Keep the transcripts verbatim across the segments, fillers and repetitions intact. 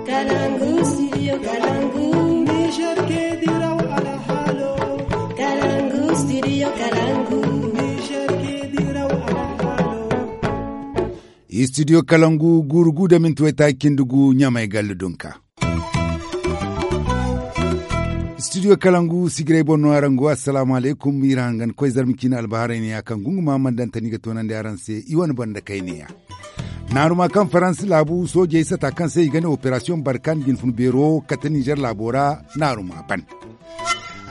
Kalangu, studio Kalangu. Niger ke diraw alhalo. Kalangu, studio Kalangu. Niger ke diraw alhalo. Studio Kalangu, guuru gu da minti waytaaci cindi gu, Ɲamay galla dunka. Studio Kalangu sigiray boŋ no araŋ go. Assalaamu alaykum. Iri hangan koy zarma ciine albaharay neeya kaŋ gunguma mana daŋ tani ga toonandi araŋ se i wane banda kayneeya. Naaruma kaŋ Faransi laabu soojey sata kaŋ se i ga ne operasiyoŋ barkan jinfun beero kate Nizer laabo ra naaruma ban.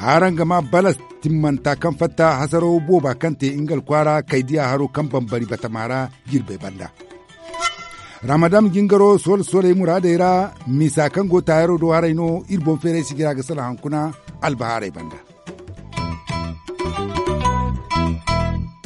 Hara nga ma balas timmanta kaŋ fatta hasaro booba kaŋ te nga alkwaara kaydiya haro kaŋ bambari batama ra jirbey banda. Ramadan jingaro soole sooley muraadey ra misa kaŋ go taayaro do haray no iri boŋ feeray sijira ga salaŋ hankuna albahaarey banda.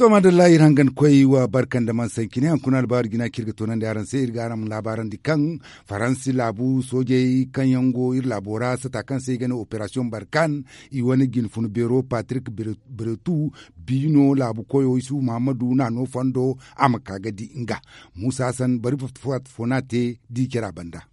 To madalla iri hangan koy wa barka nda man sankine hankuna albahaari jina kaŋ iri ga toonandi araŋ se iri ga araŋ laabaarandi kaŋ faransi laabu soojey kaŋ yaŋ go iri laabo ra sata kaŋ se i ga ne operasiyoŋ barkan i wane jinfun beero patrik bretu biino laabu koyo isufu muhammadu naano fondo a ma ka ga di nga muusa hassan bari fo no a te di care a banda.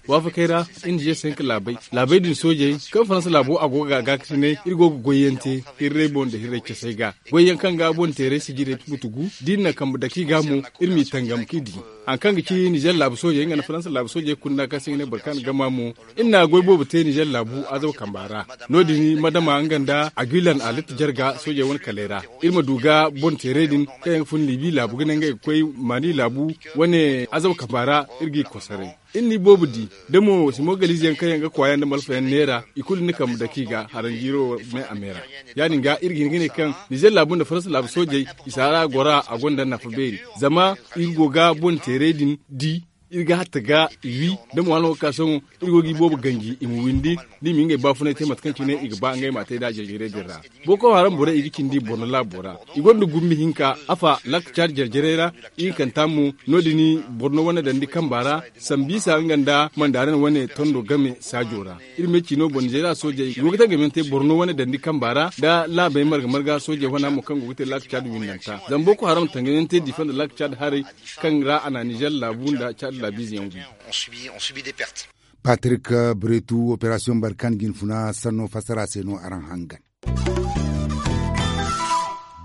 Waafakey ra iri na g cinq laabey laabey din soojey kaŋ faransa laabo a go ga gaakasinay iri go ga goyyaŋ te hirray boŋ nda hirray casay ga goyyaŋ kaŋ ga boŋ teeray sijirey butu gu da iri na kambe dake i ga mo iri m'i tangam k'i di. Hari kaŋ ga ci nizer laabu soojey nga nda faransa laabu soojey kunda kaŋ se i ga ne boro kaŋ a na gama mo iri na goy boobo te nizer laabu azaba kamba ra. No- din madama nga nda aguilan a litta jarga soojey wane kaley ra iri ma du ga boŋ teeray din kaŋ yaŋ ga fun libi laabu ga ne ngey ga koy mali laabu wane azaba kamba ra iri g'i kosoray. Iri n'i boobo di da mo simo galize yaŋ kaŋ yaŋ ga kwaaya nda malfa yaŋ neera i kulu ni kambe dake i ga haranjiiro me a me ra. Ya- din ga iri ga hin ga ne kaŋ nizer laabu nda faransa laabu soojey i si hara goro a gonda nafa beeri zama iri go ga boŋ teeray din di iri ga hatta ga i wi da mo hano ga ka sohõ iri go ga i boobo ganji i ma windi da i ma ngey baafunay te mate kaŋ cine i ga ba ngey m'a te nd'a jarjarey din ra. Boko haram borey i ga cindi borno laabo ra i gonda gumbi hinka afa lakka caadi jarjarey ra. Ihinkanta mo no- din borno wane dandi kamba ra sambiisa nga nda mandaran wane tondo game saajo ra. Iri ma ay ci no boŋ nizeeriya soojey i go ga tangamyaŋ te borno wane dandi kamba ra nda laabey marga marga soojey wana mo kaŋ go ga te lakka caadi windanta zama boko haram tangamyaŋ te diifa nda lakka caadi haray kaŋ ra a na nizer laabu nda caadi laabiize yaŋ gu. Patrik bretu operasiyoŋ barkan jinfuna sanno fassara se no araŋ hangan.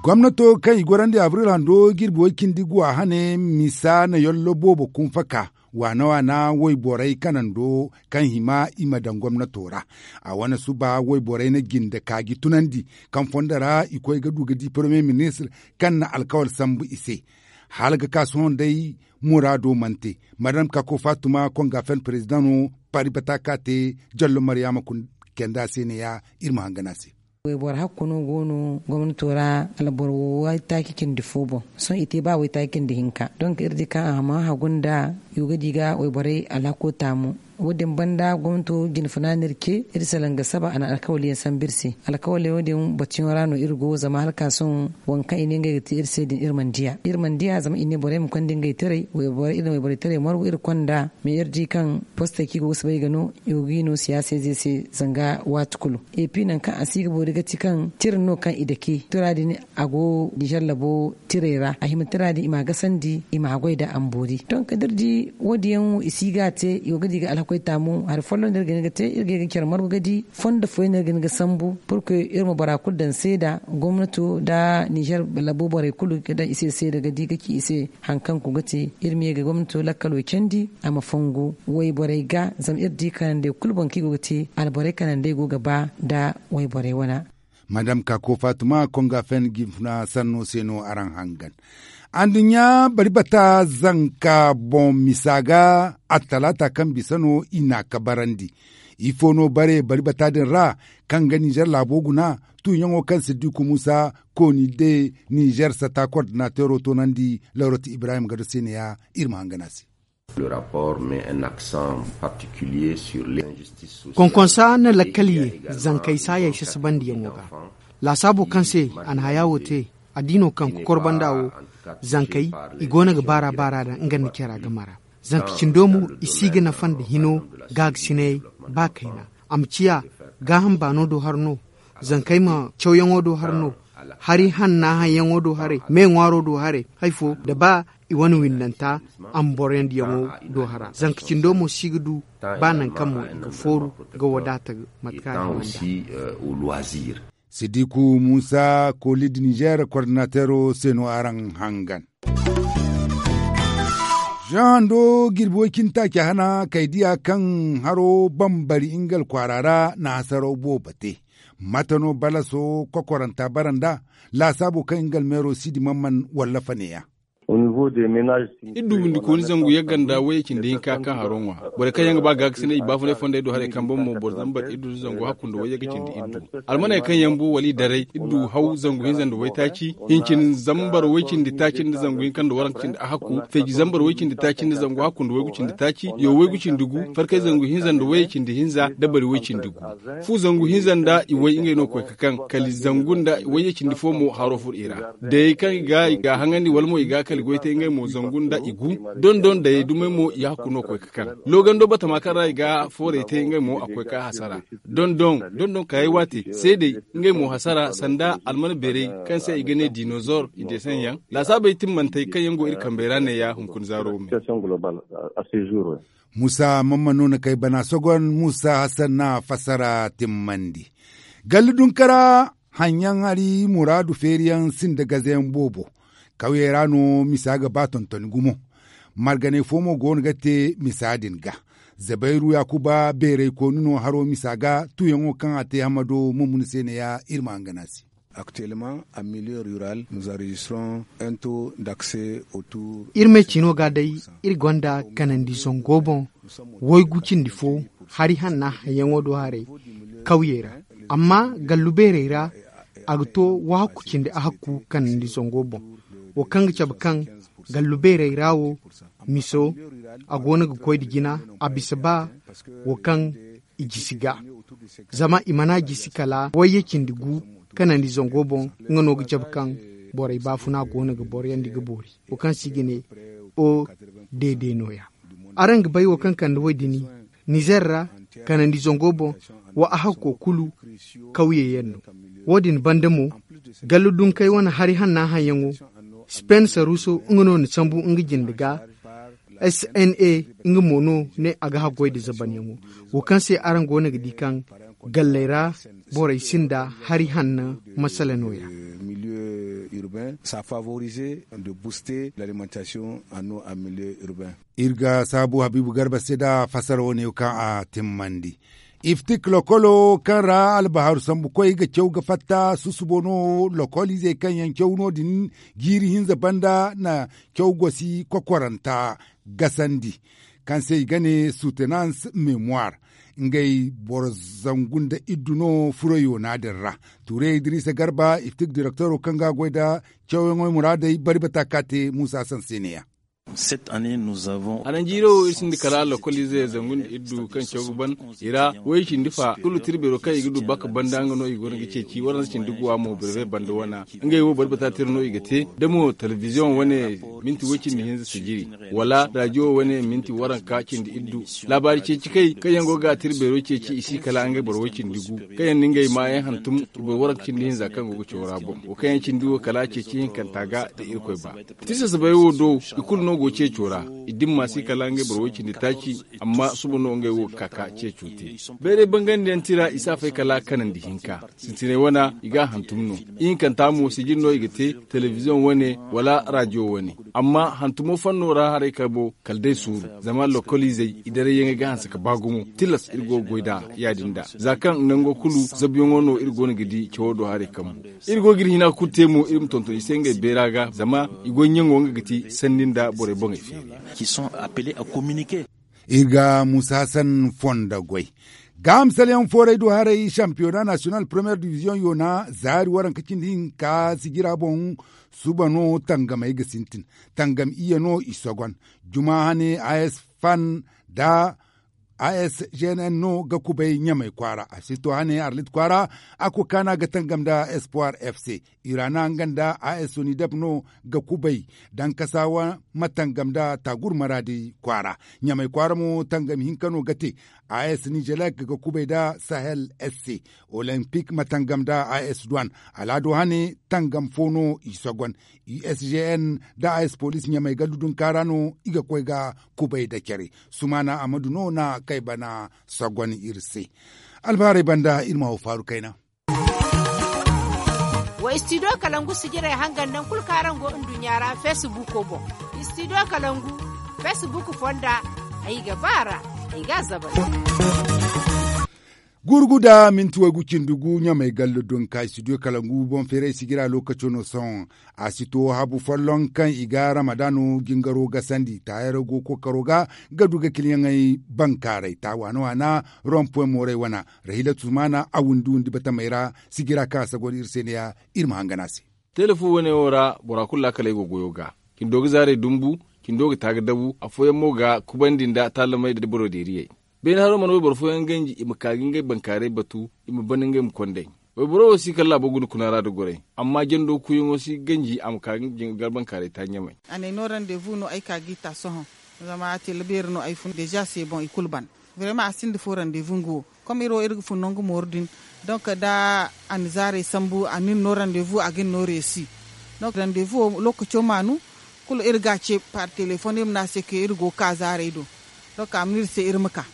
Gomnato kaŋ i gorandi abril hando jirbi way cindi guwa hane misa na yollo boobo kunfaka waana waana wayborey kanando kaŋ hima i ma daŋ gomnato ra. A wane suba wayborey na jinde kaaji tunandi kaŋ fondo ra i koy ga du ga di paramiye ministir kaŋ na alkawal sambu i se. Hala ga ka sohõ day muraado mana te. Madam kako fatuma kongafen perezidaŋo pari bata ka te jallo mariyama kunda kenda se ne ya iri ma hangan a se. Wayboro hakku no go no gomnato ra alboro waytaaci cindi fo boŋ. Sohõ i te ba waytaaci cindi hinka donk iri di kaŋ a ma hagu nda i go ga di ga wayborey alhako taamu. Wo- din banda gomnato jinfuna no iri ce iri salaŋ ga saba a na alkawali yaŋ sambu iri se. Alkawali wo- din batuyaŋo ra no iri go zama hala ka sohõ waŋ kaŋ i ne ngey ga te iri se din iri mana diya iri mana diya zama i ne borey ma konda ngey taray wayborey iri na wayborey taray margu iri konda. Me iri di kaŋ postey kaŋ i go ga soobay ga no i go ga i no siyaasa ize se zanga waati kulu. Epi nangu kaŋ a si ga boori ga ti kaŋ tira no kaŋ i dake tira din a go nizer labo tiray ra a hima tira din i m'a gasandi i m'a goy da a ma boori donk da iri di wo- din yaŋ wo i si ga a te i go ga di ga alhakoy taamu hari folloŋ no iri ga hin ga te iri ga ye ga care margu ga di fondo fooyaŋ no iri ga hin ga sambu purke iri ma bora kulu daŋ seeda gomnato nda nizer labo borey kulu ga daŋ i se seeda ga di ga ci i se. Hari kaŋ go ga te iri ma ye ga gomnato lakkalo candi a ma fongu wayborey ga zama iri di kanandey kulu boŋ kaŋ i go ga te alborey kanandey go ga ba nda wayborey wana. Madam kako fatuma konga fen jinfuna sanno se no araŋ hangan. Anduɲɲa bari bata zanka boŋ misa ga attalaata kaŋ bisa no i n'a kabarandi. Ifo no bare bari bata din ra kaŋ ga nizer laabo guna tuuɲaŋo kaŋ siddiku musa kooni de nizer sata kordinateero toonandi lawratu ibrahim gado se ne ya iri ma hangan a se. Konkonsa na lakkal ye zankey saayey sasabandiyaŋo ga. Laasaabo kaŋ se a na haya wo te a di no kaŋ kokor banda wo zankey i go no ga baara baara da nga nda care a game ra. Zanka cindo mo i si ga nafa nda hino gaagasinayey ba kayna a ma ciya gaaham baano do har no. Zankey ma cawyaŋo do har no. Hari hanna haŋyaŋo do haray me ŋwaaro do haray, hari fo da ba i wane windanta a ma boroyandiyaŋo do hara zanka cindo mo si ga du ba nangu kaŋ mo i ga fooru ga wadaata mate kaŋ a ga hima nd'a. Sidiku muusa koolid nizeer koordinateero se no araŋ hangan. Za hando jirbi way cindi taaci hana kay diya kaŋ haro bambari nga alkwaara ra na hasaraw boobo te. Mate no balaso kokoranta bara nd'a laasaabo kaŋ nga almeero si di man man wallafa neeya. Iri du windikooni zangu yagga nda wayye cindi hinka kaŋ haro ŋwa. Borey kaŋ yaŋ ga ba gaakasinay i baafunay fondey do haray kambe mo boro zambar iri du zangu hakku nda wayye ga cindi iri du. Almaney kaŋ yaŋ bu wala i daray iri du haw zangu hinza nda waytaaci, hincin zambar way cindi taaci nda zangu hinka nda waranka cindi ahakku, feeji zambar way cindi taaci nda zangu hakku nda waygu cindi taaci, yaw waygu cindi gu, farkay zangu hinza nda wayye cindi hinza, dabari way cindi gu. Fu zangu hinza nda i way ngey no koy ka kaŋ kala zangu nda wayye cindi fo mo haro furo i ra. Dayey kaŋ i ga i ga haŋandi wala mo i ga kala goy te ngey mo zangu nda i gu. Dondon dayey dumey mo i hakku no koy ka kaŋ loogando batama kaŋ ra i ga foorey te ngey mo a koy ka hasara. Dondon dondon kaayey waate seedey ngey mo hasara sanda almana beerey kaŋ se i ga ne dinozor i deesaŋ yaŋ. Laasaabey timmantey kaŋ yaŋ go iri kambey ra neeya hunkuna zaaro me. Muusa mamman no na kay bana sogon muusa hassan na fassara timmandi. Galli dunkara haŋyaŋ hari muraadu feeriyaŋ sinda gazayaŋ boobo. Kawyey ra no misa ga ba tontoni gumo. Marganey fo mo go no ga te misa din ga. Zabayru yaakuba beeraykooni no haro misa ga tuuyaŋo kaŋ a te hamado mumuni se neeya iri ma hangan a se. Aktuellement a milieu rural nous enregistrons un taux d'accès autour. Iri me ciino ga day iri gonda kanandi zango boŋ waygu cindi fo hari hanna hayaŋo do haray kawyey ra. Amma gallu beerey ra a ga to wahakku cindi ahakku kanandi zango boŋ. Wo kaŋ ga cabe kaŋ gallu beerey ra wo miso a go no ga koy nda jina a bisa ba wo kaŋ i jisi ga. Zama i mana jisi kala wayye cindi gu kanandi zango boŋ. Nga no ga cabe kaŋ borey baafuna go no ga boroyandi ga boori wo kaŋ se i ga ne o deede nooya. Araŋ ga bay wo kaŋ kande wo- din nizer ra kanandi zango boŋ wa a hakko kulu kawye yaŋ no. Wo- din banda mo gallu dunkey wane hari hanna haŋyaŋo spencer russo nga no na sambu nga jinde ga. Sna nga mo no ne a ga haggoy nda zabanyaŋo wo kaŋ se araŋ go no ga di kaŋ galley ra borey sinda hari hanna masala nooya. Milieu urbain ça favorise de booster l'alimentation en eau en milieu urbain. Iri ga saabu habiibu garba se nda fassara wane kaŋ a timmandi. Iftik lokolo kaŋ ra albahaaru sambu koy ga caw ga fatta susubo no lokoliizey kaŋ yaŋ caw no- din jiiri hinza banda na caw gosi kokoranta gasandi kaŋ se i ga ne soutenance mémoire. Ngey boro zangu nda iddu no furo yoona din ra. Tuure idrisa garba iftik direktoro kaŋ ga a goy nda cawyaŋo muraadey bari bata ka te muusa sanseene yaŋ. Araŋ jiiro wo iri sinda kala lokoliize zangu nda iddu kaŋ caw ga ban i ra way cindi fa kulu tirbeero kaŋ i ga du baka banda nga no i go no ga ceeci waranza cindi guwa mo birbe banda wana. Ngey wo bari bata tira no i ga te da mo telebiziyoŋ wane minti way cindi hinza sijiri wala rajiyo wane minti waranka cindi iddu. Laabaari ceeci kay kaŋ yaŋ go ga tirbeero ceeci i si kala ngey boro way cindi gu kaŋ yaŋ na ngey maayaŋ hantum i boro waranka cindi hinza kaŋ go ga caw ra boŋ wo kaŋ yaŋ cindi wo kala ceeci hinkanta ga da irkoy ba. Tirsasabey wo do i kulu no go ceeco ra. I dimma si kala ngey boro way cindi taaci amma suba no ngey wo ga ka ka ceeco te. Bayray bangandiyaŋ tira i si a fay kala kanandi hinka sintinay wana i ga a hantum no. Ihinkanta mo sijin no i ga te telebiziyoŋ wane wala rajiyo wane. Amma hantumo fanno ra haray kabo kala day suuru zama lokoliizey i darayyaŋey ga hanse ka ba gumo tilas iri go ga goy nd'a. Ya- din da za kaŋ nango kulu zabuyaŋo no iri go no ga di cawo do haray kambu. Iri go ga iri hina kulu te mo iri ma tonton i se ngey beera ga zama i goy ɲaŋo nga ga ti sanni nda borey boŋey feeriyaŋ. Iri ga muusa hassan fondo goy. Gaaham salyaŋ fooray do haray sampiyona nasiyonal premiyer diviziyoŋ yoona zaari waranka cindi hinka sijira boŋ. Suba no tangamey ga sintin tangam iyye no i sogon juma hane a s fan nda A s g n n no ga kubay ɲamay kwaara a si to hane arlit kwaara. A kokaana ga tangam nda espoir f c. Irana nga nda a s sonidep no ga kubay dankasaawa ma tangam nda taagur maraadi kwaara. Ɲamay kwaara mo tangam hinka no ga te. A s nizelek ga kubay nda sahel s c. Olempik ma tangam nda a s duwan. Alaado hane tangam fo no i sogon. U s g n nda a s poliis ɲamay gallu dunkaara no i ga koy ga kubay nda care. Sumaana amadu no na kay bana sogon iri se. Albaarey banda iri ma haw faaru kayna. Wa istidiyo kalangu sijirey hangan nangu kulu kaŋ araŋ go nduɲɲa ra feesibuuko boŋ. Istidiyo kalangu feesibuuk fonda ay ga ba a ra. Ay ga a zabay. Gurugu nda minti waygu cindi gu ɲamay gallo donka istidiyo kalangu boŋ feeray sijira lookaco no sohõ. A si to habu folloŋ kaŋ i ga ramadaano jingaro gasandi taayaro go kookaro ga ga du ga kiliyaŋey bankaaray ta waana waana. Rompoy moorey wana rahila tusmaana a windi windi batamey ra. Sijira kaŋ a sagor iri se ne ya iri ma hangan a se. Teele fo wane wo ra bora kulu laakaley go goyo ga. Cindo ga zaarey dumbu. Cindo ga ta ga dabu afooyaŋ mo ga kubandi nda taalamey nda boro deeriyey. Beene haro mana wayboro fooyaŋ ganji i ma ka ga ngey bankaaray batu. I ma ban ngey ma kondey. Wayboro wo si kala laabo guna kuna ra nda goray. Amma jando kuuyaŋo si ganji a ma ka ga ngey bankaaray ta ɲamay. A ne no randevu no ay ka ga i ta sohõ. Zama tele beeri no ay fun deeza se boŋ i kulu ban. Vrema a sinda fo randevu nga wo. Kom iri wo iri ga fun nangu mooru din. Donk da a na zaarey sambu a na iri no randevu a ga iri no reesi. Donk randevu wo lookaco maanu. Kulu iri ga a ce par telefon iri ma ne a se ke iri go ga ka zaarey do. Donk a ma ne iri se iri ma ka.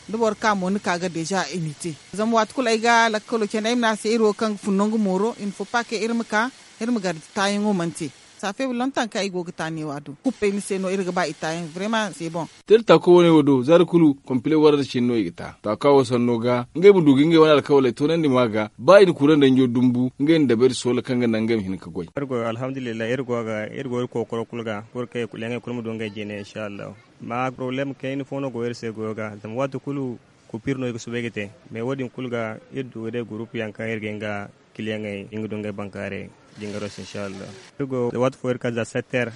Da boro ka mo ni ka ga deeza i n'i te. Zama waati kulu ay ga lakkalo candi ay ma ne a se iri wo kaŋ ga fun nangu mooro i ma fo paake iri ma ka. Iri ma gar taayaŋo mana te. Saafe lontaŋ kaŋ ay go ga ta neewa do kuppey ni se no iri ga ba i taayaŋ vrema se boŋ. Tele taako wane wo do zaari kulu kompile warra cine no i ga ta taaka wo sanno ga ngey ma du ga ngey wane alkawaley toonandi ma ga ba i na kuura nda ɲo dumbu ngey na dabayri soola kaŋ ga naŋ ngey ma hin ga goy. Iri go alhamdulillahi iri go ga iri go iri kookoro kulu ga. Pur kaŋ i kulu yaŋey kulu ma du ngey jine insa allahu. Amma porobalem kayna fo no go iri se goyo ga zama waati kulu kupir no i ga soobay ga te. Mais wo- din kulu ga iri du ga day gurupu yaŋ kaŋ iri ga hin ga kiliyaŋey nga du ngey bankaaray jingaro se insa allahu. Iri go waati fo iri kala za sept heures.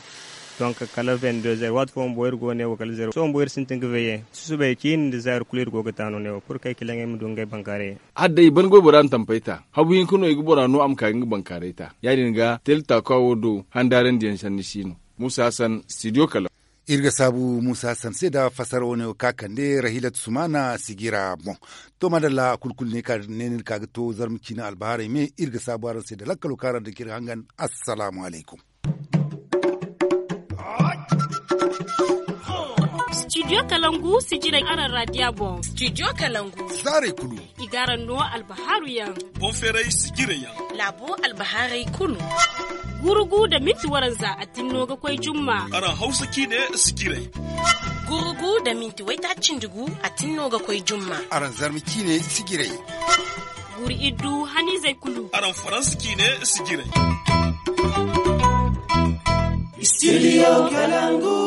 Donk kala vingt deux heures waati fo bumbo iri go ne wo kala zero sohõ bumbo iri sintin ga veye susubay ciini nda za iri kulu iri go ga ta no ne wo pur kay kiliyaŋey ma du ngey bankaaray. Hala day i ban goy bora na tampey ta habu hinka no i ga bora no a ma ka ga nga bankaaray ta ya- din ga tele taaka wo do handaarandiyaŋ sanni si no. Muusa hassan studio kala. Iri ga saabu muusa hassan se nda fassara wane wo ka kande rahilatu sumaana sijira boŋ. To madalla kulu kulu ne ni ka ga to zarma ciine albahaarey me iri ga saabu araŋ se nda lakkalo kaŋ araŋ daŋ kaŋ iri ga hangan. Assalaamu alaykum. Studio kalangu sijirey araŋ raadiya boŋ. Studio kalangu zaarey kulu i ga araŋ no albahaaru yaŋ. Boŋ feeray sijirey yaŋ laabo albahaaray kulu. Gurugu nda minti waranza a tinno ga koy jumma. Araŋ hawsa ciine sijirey. Gurugu nda minti waytaaci cindi gu a tinno ga koy jumma. Araŋ zarma ciine sijirey. Guri iddu haniizey kulu. Araŋ faransa ciine sijirey. Studio kalangu.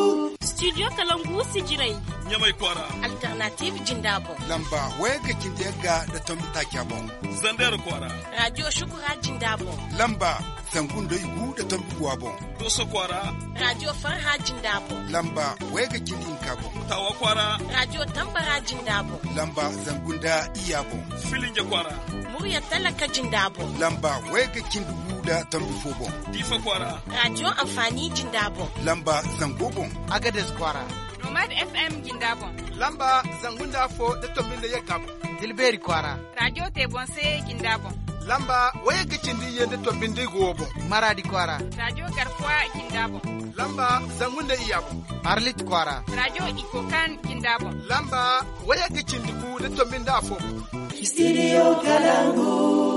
Studio kalangu sijirey. Ɲamay kwaara. Alternative jinda boŋ. Lamba wayagga cindi yagga nda tombi taaca boŋ. Zandera kwaara. Raadiyo shukura jinda boŋ. Lamba zangu nda igu nda tombi guwa boŋ. Dooso kwaara. Raadiyo farha jinda boŋ. Lamba wayagga cindi hinka boŋ. Taawa kwaara. Raadiyo tambara jinda boŋ. Lamba zangu nda iyya boŋ. Filinja kwaara. Murya talaka jinda boŋ. Lamba wayagga cindi gu nda tombi fo boŋ. Diifa kwaara. Raadiyo anfaani jinda boŋ. Lamba zango boŋ. Agades kwaara. Nomad f m jinda boŋ. Lamba zangu nda afo nda tombi nda yagga boŋ. Tilbeeri kwaara. Raadiyo te boŋ se jinda boŋ. Lamba wayagga cindi iyye nda tombi nda igu wo boŋ. Maraadi kwaara. Raadiyo garkuwa jinda boŋ. Lamba zangu nda iyya boŋ. Arlit kwaara. Raadiyo ikokan jinda boŋ. Lamba wayagga cindi gu nda tombi nda afo boŋ. Studio kalangu.